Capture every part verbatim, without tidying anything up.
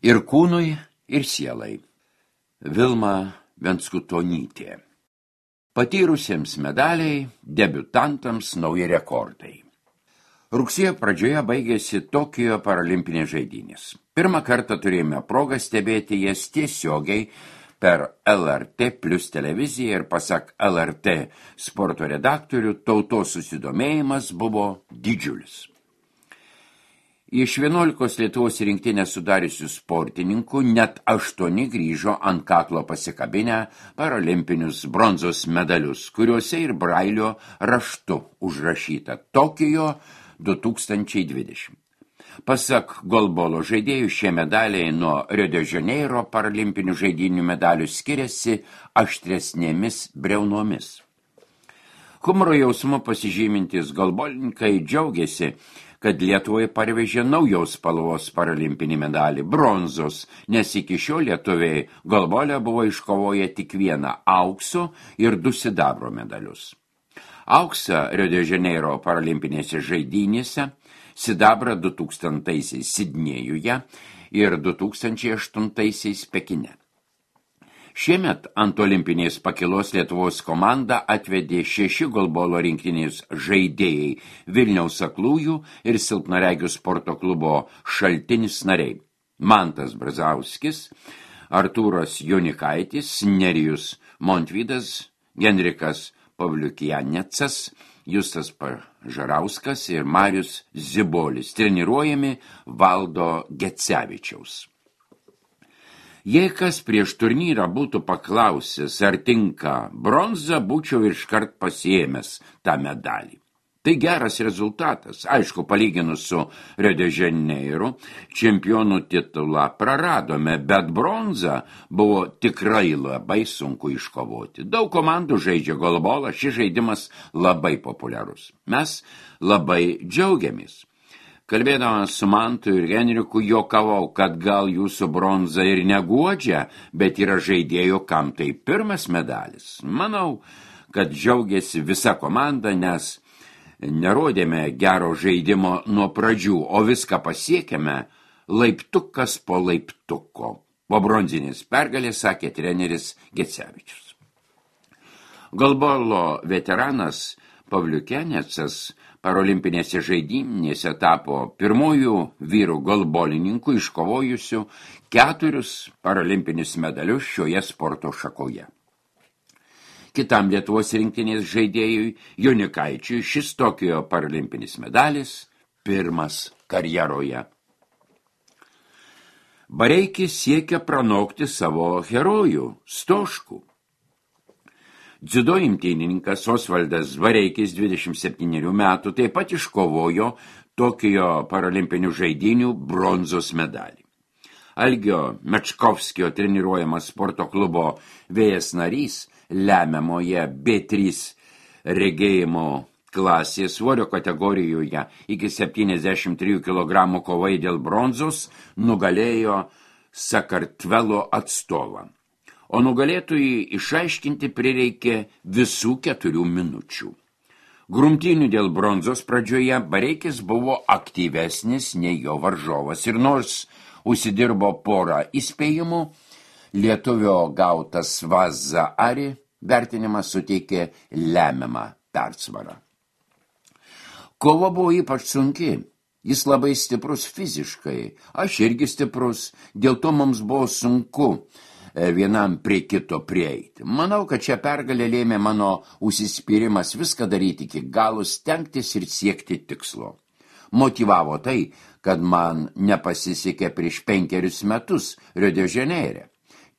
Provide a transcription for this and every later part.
Ir kūnui, ir sielai. Vilma Venskutonytė. Patyrusiems medaliai, debiutantams nauji rekordai. Rugsėjo pradžioje baigėsi Tokijo paralimpinės žaidynės. Pirmą kartą turėjome progą stebėti jas tiesiogiai per L R T plus televiziją ir pasak L R T sporto redaktorių, tautos susidomėjimas buvo didžiulis. Iš vienuolikos Lietuvos rinktinę sudariusių sportininkų net aštuoni grįžo ant kaklo pasikabinę paralimpinius bronzos medalius, kuriuose ir brailio raštu užrašyta Tokijo du tūkstančiai dvidešimt. Pasak golbolo žaidėjų, šie medaliai nuo Rio de Janeiro paralimpinių žaidynių medalių skiriasi aštresnėmis briaunomis. Humoro jausmu pasižymintis golbolininkai džiaugiasi, kad Lietuvoje parvežė naujos spalvos paralimpinį medalį bronzos, nes iki šiol lietuviai golbole buvo iškovoję tik vieną aukso ir du sidabro medalius. Auksą Rio de Janeiro paralimpinėse žaidynėse, sidabrą du tūkstantaisiais Sidnėjuje ir du tūkstančiai aštuntaisiais Pekine. Šiemet ant olimpinės pakilos Lietuvos komandą atvedė šeši golbolo rinktinės žaidėjai Vilniaus aklųjų ir silpnaregių sporto klubo Šaltinis nariai. Mantas Brazauskis, Artūras Jonikaitis, Nerijus Montvydas, Genrikas Pavliukianecas, Justas Pažarauskas ir Marius Zibolis, treniruojami Valdo Gecevičiaus. Jei kas prieš turnyrą būtų paklausęs, ar tinka bronza, būčiau iškart pasiėmęs tą medalį. Tai geras rezultatas. Aišku, palyginus su Rio de Janeiro, čempionų titulą praradome, bet bronza buvo tikrai labai sunku iškovoti. Daug komandų žaidžia golbolą, šis žaidimas labai populiarus. Mes labai džiaugiamės. Kalbėdamas su Mantu ir Henriku juokavau, kad gal jūsų bronza ir neguodžia, bet yra žaidėjų, kam tai pirmas medalis. Manau, kad džiaugiasi visa komanda, nes nerodėme gero žaidimo nuo pradžių, o viską pasiekėme laiptukas po laiptuko. Po bronzinės pergalės sakė treneris Gecevičius. Golbolo veteranas Pavliukianecas parolimpinėse žaidynėse tapo pirmųjų vyrų golbolininkų iškovojusių keturius parolimpinius medalius šioje sporto šakoje. Kitam Lietuvos rinktinės žaidėjui Jonikaičiui šis Tokijo paralimpinis medalis pirmas karjeroje. Bareikis siekia pranokti savo herojų Stoškų. Dziudo imtynininkas Osvaldas Bareikis dvidešimt septynerių metų taip pat iškovojo Tokijo paralimpinių žaidynių bronzos medalį. Algio Mečkovskio treniruojamas sporto klubo Vėjas narys lemiamoje B trys regėjimo klasės svorio kategorijoje iki septyniasdešimt trijų kilogramų kovai dėl bronzos nugalėjo Sakartvelo atstovą. O nugalėtojai išaiškinti prireikė visų keturių minučių. Grumtynių dėl bronzos pradžioje Bareikis buvo aktyvesnis nei jo varžovas ir nors užsidirbo porą įspėjimų, lietuvio gautas Vaza Ari vertinimas suteikė lemiamą persvarą. Kova buvo ypač sunki. Jis labai stiprus fiziškai, aš irgi stiprus, dėl to mums buvo sunku vienam prie kito prieiti. Manau, kad šią pergalę lėmė mano užsispyrimas viską daryti iki galo, stengtis ir siekti tikslo. Motyvavo tai, kad man nepasisekė prieš penkerius metus Rio de Janeire.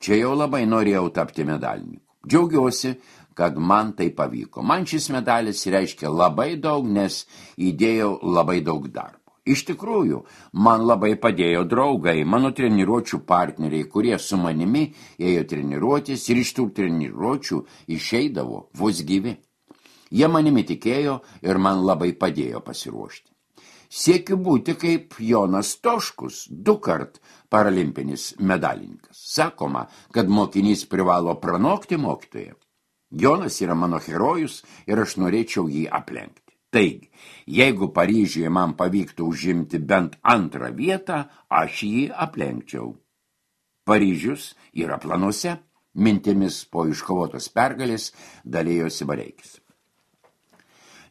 Čia jau labai norėjau tapti medalininku. Džiaugiuosi, kad man tai pavyko. Man šis medalis reiškia labai daug, nes įdėjau labai daug darbo. Iš tikrųjų, man labai padėjo draugai, mano treniruočių partneriai, kurie su manimi ėjo treniruotis ir iš tų treniruočių išeidavo vos gyvi. Jie manimi tikėjo ir man labai padėjo pasiruošti. Siekiu būti kaip Jonas Stoškus, du kart paralimpinis medalininkas. Sakoma, kad mokinys privalo pranokti mokytoją. Jonas yra mano herojus ir aš norėčiau jį aplenkti. Taigi, jeigu Paryžiuje man pavyktų užimti bent antrą vietą, aš jį aplenkčiau. Paryžius yra planuose, mintimis po iškovotos pergalės dalėjosi Bareikis.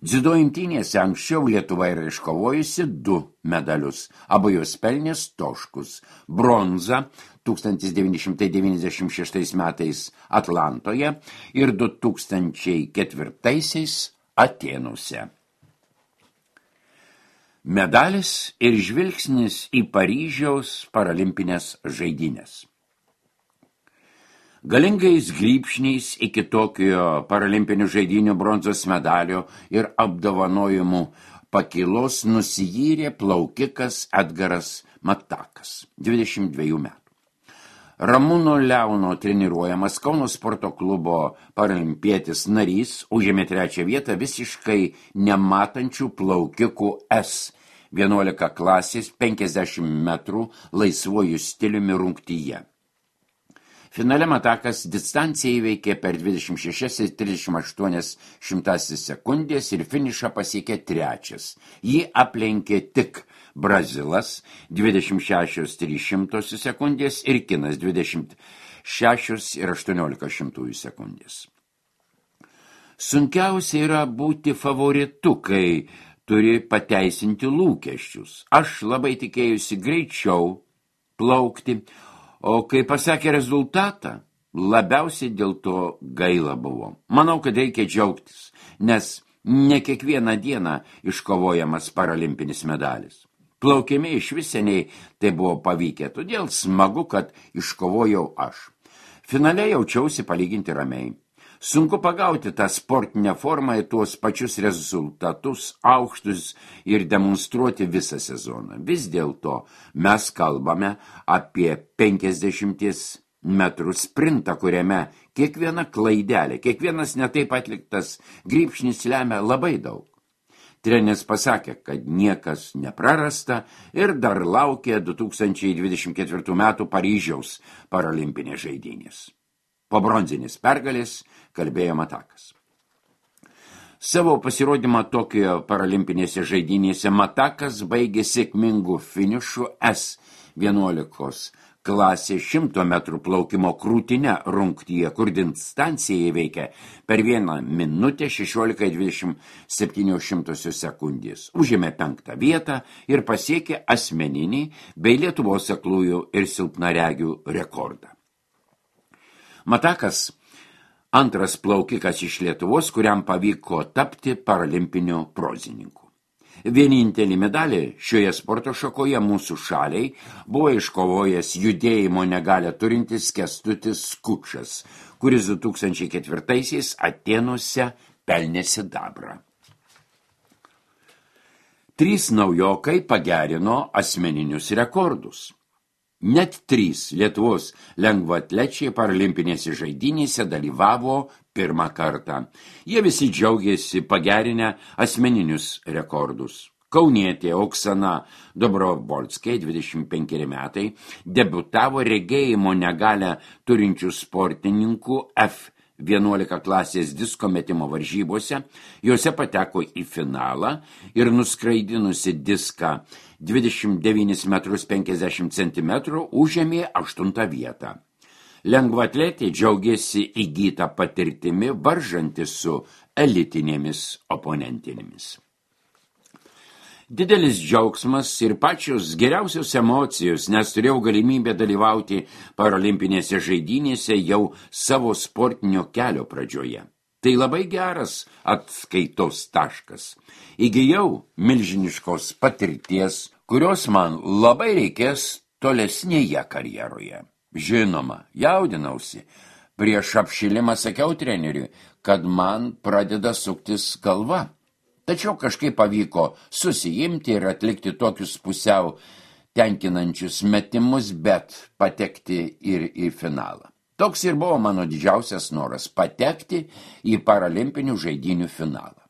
Dziudo imtynėse anksčiau Lietuva yra iškovojusi du medalius, abu jos pelnė Stoškus, bronzą tūkstantis devyni šimtai devyniasdešimt šeštais metais Atlantoje ir du tūkstančiai ketvirtaisiais Atėnuose. Medalis ir žvilgsnis į Paryžiaus paralimpinės žaidynės. Galingais grybšniais iki Tokijo paralimpinių žaidynių bronzos medalio ir apdovanojimų pakylos nusijyrė plaukikas Edgaras Matakas, dvidešimt dvejų metų. Ramūno Leono treniruojamas Kauno sporto klubo paralimpietis narys užėmė trečią vietą visiškai nematančių plaukikų S vienuolika klasės penkiasdešimt metrų laisvuoju stiliumi rungtyje. Finale Matakas distanciją įveikė per dvidešimt šešias ir trisdešimt aštuonias šimtąsias sekundės ir finišą pasiekė trečias. Jį aplenkė tik Brazilas dvidešimt šešios trys šimtosios sekundės ir kinas dvidešimt šešios ir aštuoniolika šimtųjų sekundės. Sunkiausia yra būti favoritu, kai turi pateisinti lūkesčius. Aš labai tikėjusi greičiau plaukti, o kai pasakė rezultatą, labiausiai dėl to gaila buvo. Manau, kad reikia džiaugtis, nes ne kiekvieną dieną iškovojamas paralimpinis medalis. Plaukime iš viseniai tai buvo pavykę, todėl smagu, kad iškovojau aš. Finale jaučiausi palyginti ramiai. Sunku pagauti tą sportinę formą į tuos pačius rezultatus, aukštus ir demonstruoti visą sezoną. Vis dėlto mes kalbame apie penkiasdešimties metrų sprintą, kuriame kiekviena klaidelė, kiekvienas netaip atliktas grybšnis lemia labai daug. Treneris pasakė, kad niekas neprarasta ir dar laukia du tūkstančiai dvidešimt ketvirtų metų Paryžiaus paralimpinės žaidynės. Po bronzinės pergalės kalbėjo Matakas. Savo pasirodymą Tokijo paralimpinėse žaidynėse Matakas baigė sėkmingų finišų S vienuolikos klasė šimto metrų plaukimo krūtine rungtyje, kur distancija įveikė per vieną minutę šešiolika dvidešimt septynios šimtosios sekundės. Užėmė penktą vietą ir pasiekė asmeninį bei Lietuvos aklųjų ir silpnaregių rekordą. Matakas antras plaukikas iš Lietuvos, kuriam pavyko tapti paralimpiniu prozininku. Vienintelį medalį šioje sporto šakoje mūsų šaliai buvo iškovojęs judėjimo negalią turintis Kęstutis Skučas, kuris du tūkstančiai ketvirtaisiais Atėnuose pelnė sidabrą. Trys naujokai pagerino asmeninius rekordus. Net trys Lietuvos lengvaatlečiai paralimpinėse žaidynėse dalyvavo pirmą kartą. Jie visi džiaugėsi pagerinę asmeninius rekordus. Kaunietė Oksana Dobrovolskė, dvidešimt penkeri metai, debiutavo regėjimo negalią turinčių sportininkų F vienuolika klasės disko metimo varžybose, juose pateko į finalą ir nuskraidinusi diską dvidešimt devynis metrus penkiasdešimt centimetrų užėmė aštuntą vietą. Lengvaatletė džiaugėsi įgytą patirtimi varžantis su elitinėmis oponentinėmis. Didelis džiaugsmas ir pačios geriausios emocijos, nes turėjau galimybę dalyvauti paralimpinėse žaidynėse jau savo sportinio kelio pradžioje. Tai labai geras atskaitos taškas. Įgijau milžiniškos patirties, kurios man labai reikės tolesnėje karjeroje. Žinoma, jaudinausi. Prieš apšilimą sakiau treneriui, kad man pradeda suktis galva. Tačiau kažkaip pavyko susiimti ir atlikti tokius pusiau tenkinančius metimus, bet patekti ir į finalą. Toks ir buvo mano didžiausias noras – patekti į paralimpinių žaidynių finalą.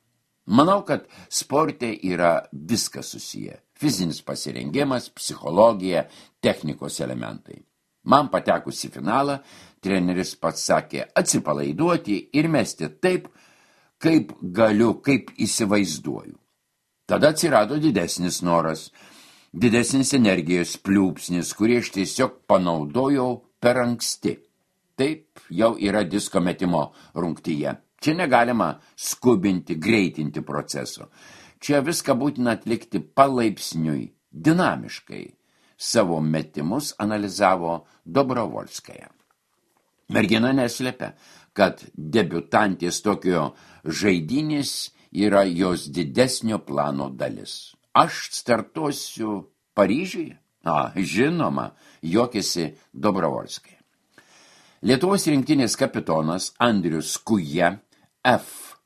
Manau, kad sporte yra viskas susiję. Fizinis pasirengimas, psichologija, technikos elementai. Man patekus į finalą, treneris pats sakė atsipalaiduoti ir mesti taip, kaip galiu, kaip įsivaizduoju. Tada atsirado didesnis noras, didesnis energijos pliūpsnis, kurį aš tiesiog panaudojau per anksti. Taip jau yra disko metimo rungtyje. Čia negalima skubinti, greitinti proceso. Čia viską būtina atlikti palaipsniui, dinamiškai. Savo metimus analizavo Dobrovolskaja. Mergina neslėpia, kad debiutantės Tokijo žaidynės yra jos didesnio plano dalis. Aš startuosiu Paryžiuje? A, žinoma, juokėsi Dobrovolskaja. Lietuvos rinktinės kapitonas Andrius Kuja F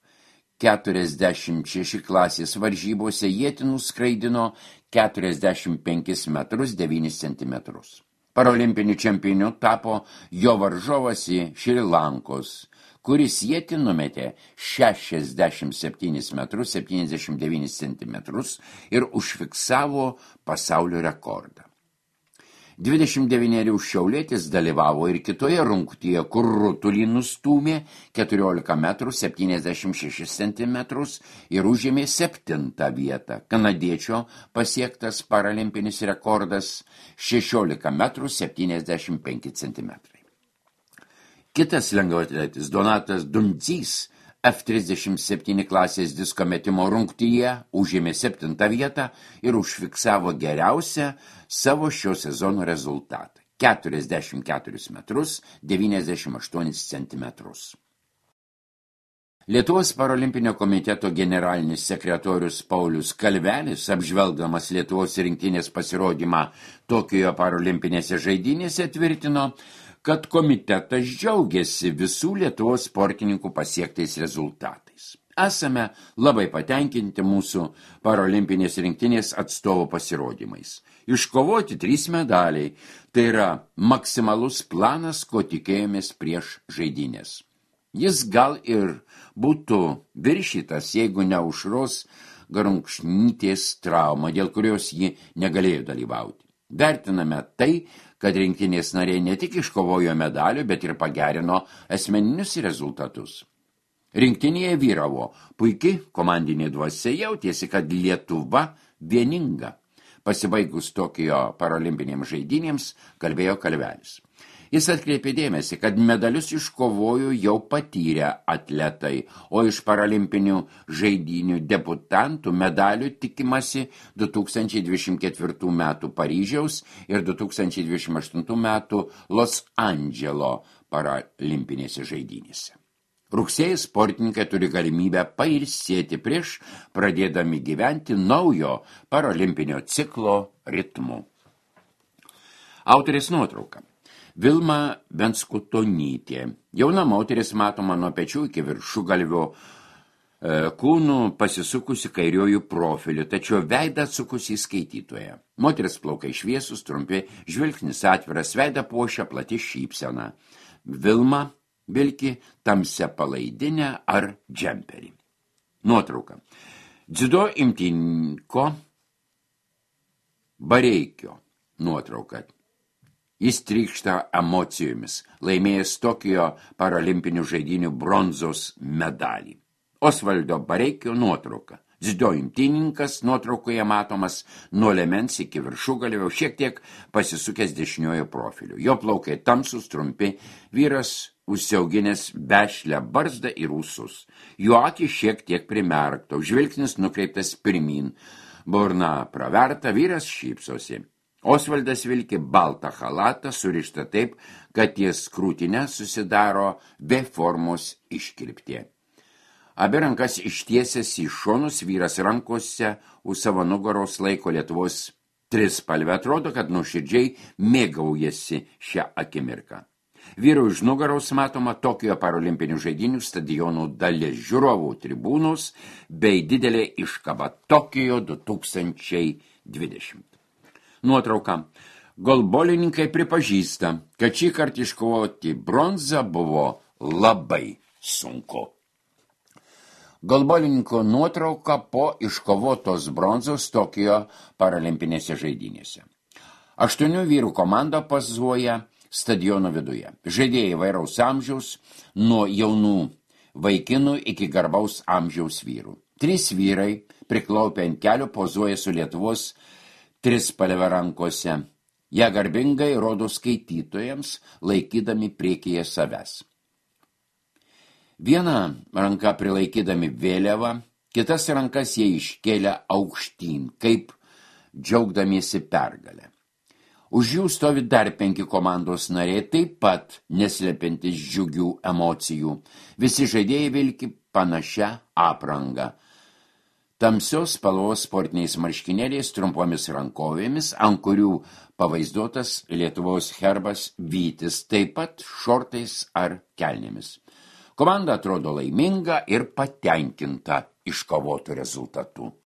keturiasdešimt šeši klasės varžybose ietinų skraidino keturiasdešimt penkis metrus devynis centimetrus. Parolimpiniu čempioniu tapo jo varžovas į Šri Lankos, kuris ietį numetė šešiasdešimt septynis metrus septyniasdešimt devynis centimetrus ir užfiksavo pasaulio rekordą. dvidešimt devynerių šiaulietis dalyvavo ir kitoje rungtyje, kur rutulį nustūmė keturiolika metrų septyniasdešimt šešis centimetrus ir užėmė septintą vietą. Kanadiečio pasiektas paralimpinis rekordas šešiolika metrų septyniasdešimt penki centimetrai. Kitas lengvaatletis Donatas Dundzys F trisdešimt septyni klasės disko metimo rungtyje užėmė septintą vietą ir užfiksavo geriausią savo šio sezono rezultatą – keturiasdešimt keturis metrus devyniasdešimt aštuonis centimetrus. Lietuvos parolimpinio komiteto generalinis sekretorius Paulius Kalvelis, apžvelgdamas Lietuvos rinktinės pasirodymą Tokijo parolimpinėse žaidynėse, tvirtino, kad komitetas džiaugiasi visų Lietuvos sportininkų pasiektais rezultatais. Esame labai patenkinti mūsų parolimpinės rinktinės atstovo pasirodymais. Iškovoti trys medaliai, tai yra maksimalus planas, ko tikėjomės prieš žaidynės. Jis gal ir būtų viršytas, jeigu ne Aušros Garunkšnytės trauma, dėl kurios ji negalėjo dalyvauti. Vertiname tai, kad rinktinės nariai ne tik iškovojo medalių, bet ir pagerino asmeninius rezultatus. Rinktinėje vyravo puiki komandinė dvasia, jautėsi, kad Lietuva vieninga. Pasibaigus Tokijo parolimpinėms žaidynėms, kalbėjo Kalvelis. Jis atkreipė dėmesį, kad medalius iškovojo jau patyrę atletai, o iš paralimpinių žaidynių debutantų medalių tikimasi du tūkstančiai dvidešimt ketvirtų metų Paryžiaus ir du tūkstančiai dvidešimt aštuntų metų Los Andželo paralimpinėse žaidynėse. Rugsėjį sportininkai turi galimybę pailsėti prieš pradėdami gyventi naujo paralimpinio ciklo ritmu. Autorės nuotrauka. Vilma Venskutonytė. Jauna moteris matoma nuo pečių iki viršugalvio e, kūnų pasisukusi kairiojų profiliu, tačiau veidą atsukusi į skaitytoją. Moteris plaukai šviesus, trumpi, žvilgsnis atviras, veidą puošia plati šypsena. Vilma vilki tamsia palaidinę ar džemperį. Nuotrauka. Dziudo imtyninko Bareikio nuotrauka. Jis trykšta emocijomis, laimėjęs Tokijo paralimpinių žaidynių bronzos medalį. Osvaldo Bareikio nuotrauka. Dziudo imtynininkas nuotraukoje matomas nuo liemens iki viršugalvio, šiek tiek pasisukęs dešiniojo profiliu. Jo plaukai tamsus, trumpi, vyras užsiauginęs vešlią barzdą ir ūsus. Jo akys šiek tiek primerkto, žvilgsnis nukreiptas pirmyn, burna praverta, vyras šypsosi. Osvaldas vilki baltą chalatą, surištą taip, kad ties krūtinę susidaro V formos iškirptė. Abi rankas ištiesęs į šonus, vyras rankose už savo nugaros laiko Lietuvos trispalvę. Atrodo, kad nuoširdžiai mėgaujasi šią akimirką. Vyro iš nugaros matoma Tokijo parolimpinių žaidynių stadionų dalis, žiūrovų tribūnos bei didelė iškaba Tokijo du tūkstančiai dvidešimt. Nuotrauka. Golbolininkai pripažįsta, kad šį kartą iškovoti bronzą buvo labai sunku. Golbolininko nuotrauka po iškovotos bronzos Tokijo paralimpinėse žaidynėse. Aštuonių vyrų komanda pozuoja stadiono viduje. Žaidėjai įvairaus amžiaus, nuo jaunų vaikinų iki garbaus amžiaus vyrų. Trys vyrai priklaupę ant kelių pozuoja su Lietuvos trispalve rankose. Jie garbingai rodo skaitytojams, laikydami priekyje savęs. Vieną ranką prilaikydami vėliavą, kitas rankas jie iškėlė aukštyn, kaip džiaugdamiesi pergalę. Už jų stovi dar penki komandos nariai, taip pat neslepiantis džiugių emocijų. Visi žaidėjai vilki panašią aprangą. Tamsios spalvos sportiniais marškinėliais, trumpomis rankovėmis, ant kurių pavaizduotas Lietuvos herbas vytis, taip pat šortais ar kelnėmis. Komanda atrodo laiminga ir patenkinta iškovotų rezultatų.